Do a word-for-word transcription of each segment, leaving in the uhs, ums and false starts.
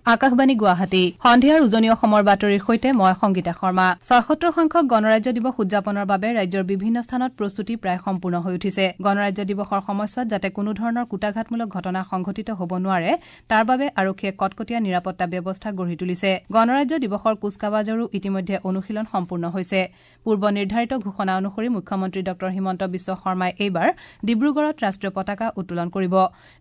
আকাশবাণী গুৱাহাটী সন্ধিয়াৰ উজনি অসমৰ বাতৰিৰ সৈতে মই সংগীতা শৰ্মা। ছয়সত্তৰ সংখ্যক গণৰাজ্য দিৱস উদযাপনৰ বাবে ৰাজ্যৰ বিভিন্ন স্থানত প্ৰস্তুতি প্ৰায় সম্পূৰ্ণ হৈ উঠিছে। গণৰাজ্য দিৱসৰ সময়ছোৱাত যাতে কোনো ধৰণৰ কূটাঘাতমূলক ঘটনা সংঘটিত হ'ব নোৱাৰে তাৰ বাবে আৰক্ষীয়ে কটকটীয়া নিৰাপত্তা ব্যৱস্থা গঢ়ি তুলিছে। গণৰাজ্য দিৱসৰ কুচকাৱাজৰো ইতিমধ্যে অনুশীলন সম্পূৰ্ণ হৈছে। পূৰ্ব নিৰ্ধাৰিত ঘোষণা অনুসৰি মুখ্যমন্ত্ৰী ডঃ হিমন্ত বিশ্ব শৰ্মাই এইবাৰ ডিব্ৰুগড়ত ৰাষ্ট্ৰীয় পতাকা উত্তোলন কৰিব।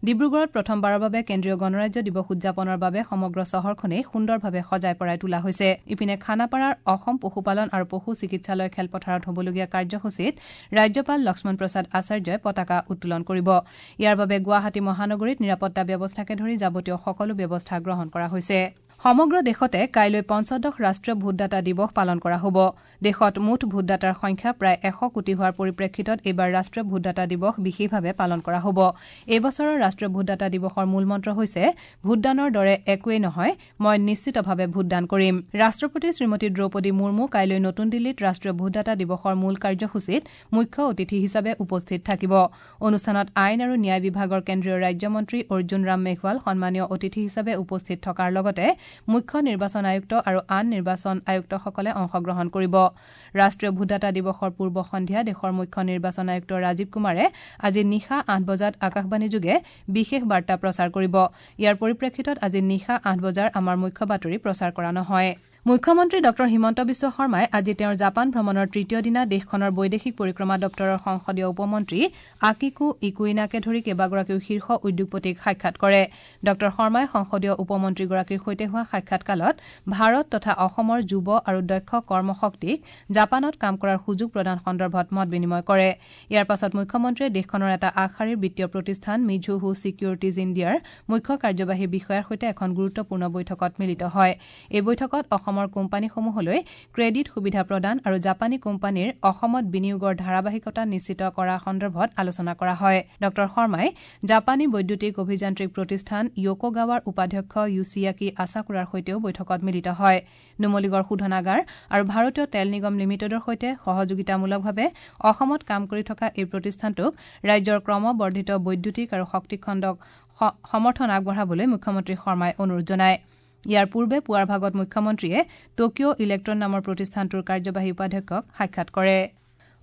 ডিব্ৰুগড়ত প্ৰথমবাৰৰ বাবে কেন্দ্ৰীয় গণৰাজ্য দিৱস উদযাপনৰ বাবে সমগ্ৰ চহৰখনেই সুন্দৰভাৱে সজাই পৰাই তোলা হৈছে। ইপিনে খানাপাৰাৰ অসম পশুপালন আৰু পশু চিকিৎসালয় খেলপথাৰত হ'বলগীয়া কাৰ্যসূচীত ৰাজ্যপাল লক্ষ্মণ প্ৰসাদ আচাৰ্যই পতাকা উত্তোলন কৰিব। ইয়াৰ বাবে গুৱাহাটী মহানগৰীত নিৰাপত্তা ব্যৱস্থাকে ধৰি যাৱতীয় সকলো ব্যৱস্থা গ্ৰহণ কৰা হৈছে। সমগ্ৰ দেশতে কাইলৈ পঞ্চদশ ৰাষ্ট্ৰীয় ভোটদাতা দিৱস পালন কৰা হ'ব। দেশত মুঠ ভোটদাতাৰ সংখ্যা প্ৰায় এশ কোটি হোৱাৰ পৰিপ্ৰেক্ষিতত এইবাৰ ৰাষ্ট্ৰীয় ভোটদাতা দিৱস বিশেষভাৱে পালন কৰা হ'ব। এই বছৰৰ ৰাষ্ট্ৰীয় ভোটদাতা দিৱসৰ মূলমন্ত্ৰ হৈছে ভোটদানৰ দৰে একোৱেই নহয়, মই নিশ্চিতভাৱে ভোটদান কৰিম। ৰাষ্ট্ৰপতি শ্ৰীমতী দ্ৰৌপদী মুৰ্মু কাইলৈ নতুন দিল্লীত ৰাষ্ট্ৰীয় ভোটদাতা দিৱসৰ মূল কাৰ্যসূচীত মুখ্য অতিথি হিচাপে উপস্থিত থাকিব। অনুষ্ঠানত আইন আৰু ন্যায় বিভাগৰ কেন্দ্ৰীয় ৰাজ্যমন্ত্ৰী অৰ্জুন ৰাম মেঘৱাল সন্মানীয় অতিথি হিচাপে উপস্থিত থকাৰ লগতে মুখ্য নিৰ্বাচন আয়ুক্ত আৰু আন নিৰ্বাচন আয়ুক্তসকলে অংশগ্ৰহণ কৰিব। ৰাষ্ট্ৰীয় ভোটদাতা দিৱসৰ পূৰ্ব সন্ধিয়া দেশৰ মুখ্য নিৰ্বাচন আয়ুক্ত ৰাজীৱ কুমাৰে আজি নিশা আঠ বজাত আকাশবাণীযোগে বিশেষ বাৰ্তা প্ৰচাৰ কৰিব। ইয়াৰ পৰিপ্ৰেক্ষিতত আজি নিশা আঠ বজাৰ আমাৰ মুখ্য বাতৰি প্ৰচাৰ কৰা নহয়। মুখ্যমন্ত্ৰী ডঃ হিমন্ত বিশ্ব শৰ্মাই আজি তেওঁৰ জাপান ভ্ৰমণৰ তৃতীয় দিনা দেশখনৰ বৈদেশিক পৰিক্ৰমা দপ্তৰৰ সংসদীয় উপমন্ত্ৰী আকিকো ইকুইনাকে ধৰি কেইবাগৰাকীও শীৰ্ষ উদ্যোগপতিক সাক্ষাৎ কৰে। ডঃ শৰ্মাই সংসদীয় উপমন্ত্ৰীগৰাকীৰ সৈতে হোৱা সাক্ষাৎকালত ভাৰত তথা অসমৰ যুৱ আৰু দক্ষ কৰ্মশক্তিক জাপানত কাম কৰাৰ সুযোগ প্ৰদান সন্দৰ্ভত মত বিনিময় কৰে। ইয়াৰ পাছত মুখ্যমন্ত্ৰীয়ে দেশখনৰ এটা আগশাৰীৰ বিত্তীয় প্ৰতিষ্ঠান মিজুহো ছিকিউৰিটিজ ইণ্ডিয়াৰ মুখ্য কাৰ্যবাহী বিষয়াৰ সৈতে এখন গুৰুত্বপূৰ্ণ বৈঠকত মিলিত হয়। এই বৈঠকত অসমৰ কোম্পানীসমূহলৈ ক্ৰেডিট সুবিধা প্ৰদান আৰু জাপানী কোম্পানীৰ অসমত বিনিয়োগৰ ধাৰাবাহিকতা নিশ্চিত কৰা সন্দৰ্ভত আলোচনা কৰা হয়। ডঃ শৰ্মাই জাপানী বৈদ্যুতিক অভিযান্ত্ৰিক প্ৰতিষ্ঠান য়োকোগাৱাৰ উপাধ্যক্ষ য়ুছিয়াকি আছাকুৰাৰ সৈতেও বৈঠকত মিলিত হয়। নুমলীগড় শোধনাগাৰ আৰু ভাৰতীয় তেল নিগম লিমিটেডৰ সৈতে সহযোগিতামূলকভাৱে অসমত কাম কৰি থকা এই প্ৰতিষ্ঠানটোক ৰাজ্যৰ ক্ৰমবৰ্ধিত বৈদ্যুতিক আৰু শক্তি খণ্ডক সমৰ্থন আগবঢ়াবলৈ মুখ্যমন্ত্ৰী শৰ্মাই অনুৰোধ জনায়। ইয়াৰ পূৰ্বে পুৱাৰ ভাগত মুখ্যমন্ত্ৰীয়ে টকিঅ' ইলেক্ট্ৰন নামৰ প্ৰতিষ্ঠানটোৰ কাৰ্যবাহী উপাধ্যক্ষক সাক্ষাৎ কৰে।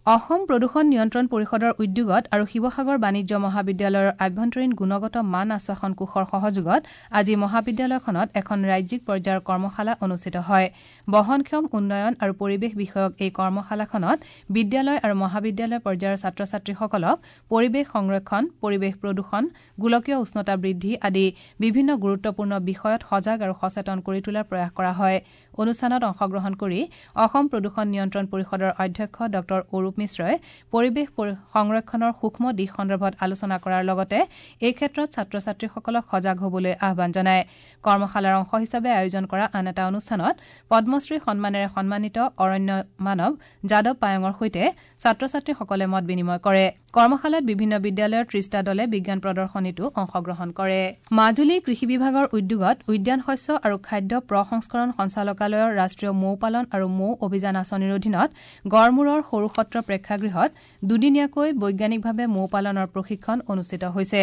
অসম প্ৰদূষণ নিয়ন্ত্ৰণ পৰিষদৰ উদ্যোগত আৰু শিৱসাগৰ বাণিজ্য মহাবিদ্যালয়ৰ আভ্যন্তৰীণ গুণগত মান আশ্বাসন কোষৰ সহযোগত আজি মহাবিদ্যালয়খনত এখন ৰাজ্যিক পৰ্যায়ৰ কৰ্মশালা অনুষ্ঠিত হয়। বহনক্ষম উন্নয়ন আৰু পৰিৱেশ বিষয়ক এই কৰ্মশালাখনত বিদ্যালয় আৰু মহাবিদ্যালয় পৰ্যায়ৰ ছাত্ৰ ছাত্ৰীসকলক পৰিৱেশ সংৰক্ষণ, পৰিৱেশ প্ৰদূষণ, গোলকীয় উষ্ণতা বৃদ্ধি আদি বিভিন্ন গুৰুত্বপূৰ্ণ বিষয়ত সজাগ আৰু সচেতন কৰি তোলাৰ প্ৰয়াস কৰা হয়। অনুষ্ঠানত অংশগ্ৰহণ কৰি অসম প্ৰদূষণ নিয়ন্ত্ৰণ পৰিষদৰ অধ্যক্ষ ডঃ অৰূপ মিশ্ৰই পৰিৱেশ সংৰক্ষণৰ সূক্ষ্ম দিশ সন্দৰ্ভত আলোচনা কৰাৰ লগতে এই ক্ষেত্ৰত ছাত্ৰ ছাত্ৰীসকলক সজাগ হ'বলৈ আহ্বান জনায়। কৰ্মশালাৰ অংশ হিচাপে আয়োজন কৰা আন এটা অনুষ্ঠানত পদ্মশ্ৰী সন্মানেৰে সন্মানিত অৰণ্য মানৱ যাদৱ পায়ঙৰ সৈতে ছাত্ৰ ছাত্ৰীসকলে মত বিনিময় কৰে। কৰ্মশালাত বিভিন্ন বিদ্যালয়ৰ ত্ৰিশটা দলে বিজ্ঞান প্ৰদৰ্শনীতো অংশগ্ৰহণ কৰে। মাজুলী কৃষি বিভাগৰ উদ্যোগত উদ্যান শস্য আৰু খাদ্য প্ৰসংস্কৰণ সঞ্চালকালয়ৰ ৰাষ্ট্ৰীয় মৌ পালন আৰু মৌ অভিযান আঁচনিৰ অধীনত গড়মূৰৰ সৰুসত্ৰ প্ৰেক্ষাগৃহত দুদিনীয়াকৈ বৈজ্ঞানিকভাৱে মৌ পালনৰ প্ৰশিক্ষণ অনুষ্ঠিত হৈছে।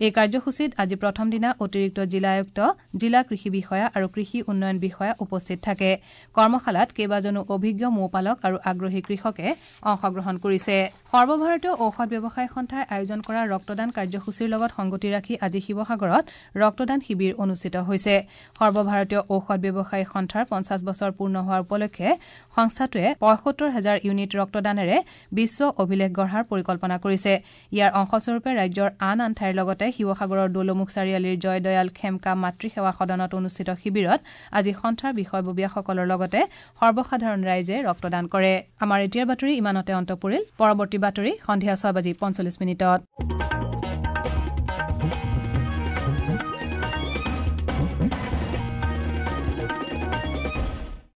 এই কাৰ্যসূচীত আজি প্ৰথম দিনা অতিৰিক্ত জিলা আয়ুক্ত, জিলা কৃষি বিষয়া আৰু কৃষি উন্নয়ন বিষয়া উপস্থিত থাকে। কৰ্মশালাত কেইবাজনো অভিজ্ঞ মৌপালক আৰু আগ্ৰহী কৃষকে অংশগ্ৰহণ কৰিছে। সৰ্বভাৰতীয় ঔষধ ব্যৱসায়ী সন্থাই আয়োজন কৰা ৰক্তদান কাৰ্যসূচীৰ লগত সংগতি ৰাখি আজি শিৱসাগৰত ৰক্তদান শিবিৰ অনুষ্ঠিত হৈছে। সৰ্বভাৰতীয় ঔষধ ব্যৱসায়ী সন্থাৰ পঞ্চাছ বছৰ পূৰ্ণ হোৱাৰ উপলক্ষে সংস্থাটোৱে পঁয়সত্তৰ হাজাৰ ইউনিট ৰক্তদানেৰে বিশ্ব অভিলেখ গঢ়াৰ পৰিকল্পনা কৰিছে। ইয়াৰ অংশস্বৰূপে ৰাজ্যৰ আন আন ঠাইৰ লগতে শিৱসাগৰৰ দৌলমুখ চাৰিআলিৰ জয়দয়াল খেমকা মাতৃ সেৱা সদনত অনুষ্ঠিত শিবিৰত আজি সন্থাৰ বিষয়ববীয়াসকলৰ লগতে সৰ্বসাধাৰণ ৰাইজে ৰক্তদান কৰে। আমাৰ এতিয়াৰ বাতৰি ইমানতে অন্ত পৰিল। পৰৱৰ্তী বাতৰি সন্ধিয়া ছয় বাজি পঞ্চল্লিছ মিনিটত।